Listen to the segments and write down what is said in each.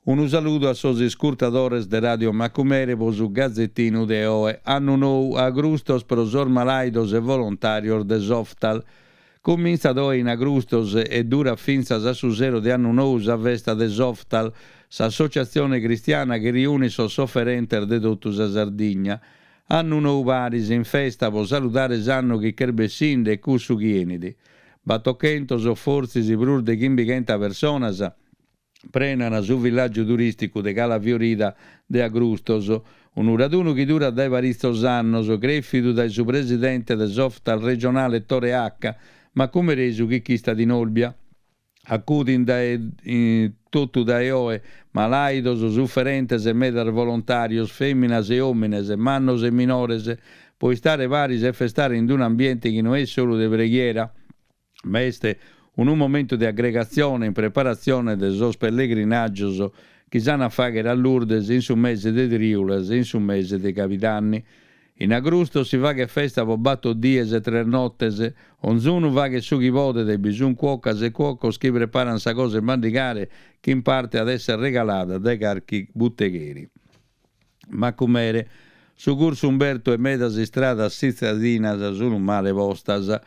Unu saludu a sos iscurtadores de Radio Macumere pro su gazetinu de oe, annu nou, agrustos pro sos malàidos e volontàrios de s'Oftal. Cumintzat oe in Agrustos e durat fintzas a su sero de annu nou sa festa de s'Oftal, s'associatzione cristiana chi riunit sos soferentes de totu sa Sardigna. Annu nou paris in festa pro saludare s'annu chi ch'est bessinde e cussu chi 'enit. Batochentos o fortzis prus de chimbighenta personas prenan su villàgiu turìsticu de Cala Fiorida de Agrustos, unu radunu chi durat dae paritzos annos, crèfidu dae su presidente de s'Oftal regionale Tore Acca, macumeresu chi ch'istat in Olbia. Acudint dae totu dae oe malàidos, suferentes e medas volontàrios, fèminas e òmines, mannos e minores, pro istare paris e festare in un'ambiente chi no est solu de preghiera, ma est unu momentu de aggregatzione in preparatzione de sos pellegrinàgios chi s'an a fàghere a Lourdes in su mese de trìulas e in su mese de cabidanni. In Agrustos si faghet festa pro bator dies e tres notes, onzunu faghet su chi podet e bi sun cuocas e cuocos chi preparan sa cosa 'e mandigare chi in parte at esser regalada dae carchi butegheri. Macumere, su cursu Umberto e medas istradas tzitadinas sun male postas.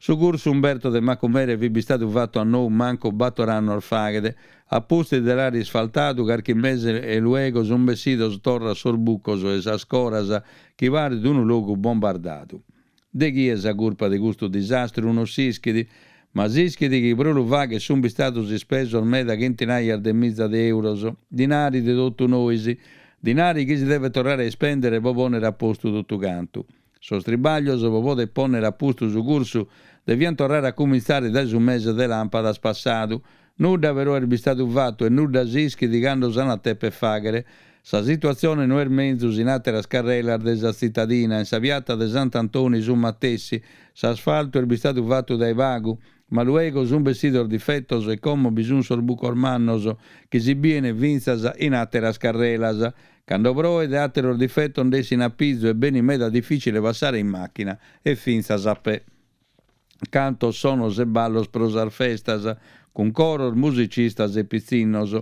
Su cursu Umberto de Macumere fit bistadu fatu a nou mancu bator annos faghet. A pustis de l'àere isfaltadu carchi mese e luego sun bessidos torra sos bucos e sas coras chi paret unu logu bombardadu. De chie sa curpa de custu disastru non s'ischit, ma s'ischit chi pro lu fagher sunt bistados ispesos meda chentinaias de miza de euros, dinari de totu nois, dinari chi si devet torrare a ispèndere pro pònnere a postu totu cantu. Sos tribaglios pro poder pònnere a postu su cursu deviant torrare a cumintzare dae su mese de làmpadas passadu. Nudda però est bistadu fatu e nudda s'ischit cando s'an a teper fàghere. Sa situatzione no est menzus in àteras carrelas de sa tzitadina, in sa piata de Sant'Antoni su matessi, s'asfaltu est bistadu fatu dae pagu, ma luego sunt bessidos difetos e como bi sunt sos bucos mannos chi si bien fintzas in àteras carrelas. Cando proet àteros difetos nd'essin a pizu e benit meda dificile passare in màchina e fintzas a pè. Cantos, sonos e ballos pro sas festas, cun coros, musicistas e pitzinnos.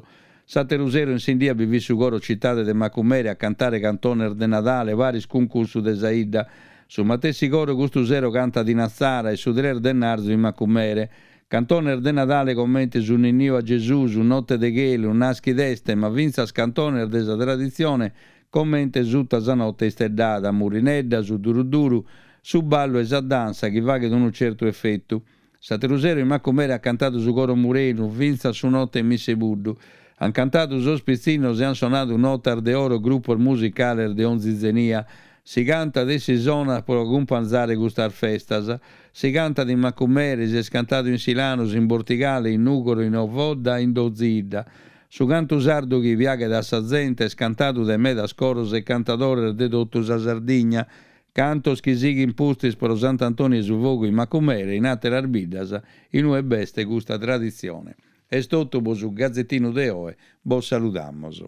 S'àteru sero in Sindia bi fit su coro Citade de Macumere a cantare cantones de Nadale paris cun cussu de sa 'idda. Su matessi coro custu sero cantat in Atzara e su tres de 'ennarzu in Macumere. Cantones de Nadale comente su Ninniu a Gesùs, Notte de chelu, Naschid'est, ma fintzas cantones de sa traditzione comente Sutta sa notte isteddada, Murinedda, Su duru duru, su ballu 'e sa dansa chi faghet unu certu efetu. S'ateru sero in Macumere at cantadu su coro Murenu, fintzas su note 'e Missa 'e Puddu. An cantadu sos pitzinnos e an sonadu notas de oro grupos musicales de onzi zenia. Si cantat e si sonat pro acumpanzare custas festas. Si cantat in Macumere, si est cantadu in Silanus, in Bortigale, in Nùgoro, in Ovodda, in donzi 'idda. Su cantu sardu chi piaghet a sa zente est cantadu dae medas coros e cantadores de totu sa Sardigna, cantos chi sighin pustis pro Sant'Antoni 'e su Fogu in Macumere e in àteras biddas in ue b'est custa traditzione. Est totu pro su gazetinu de oe, bos saludamos.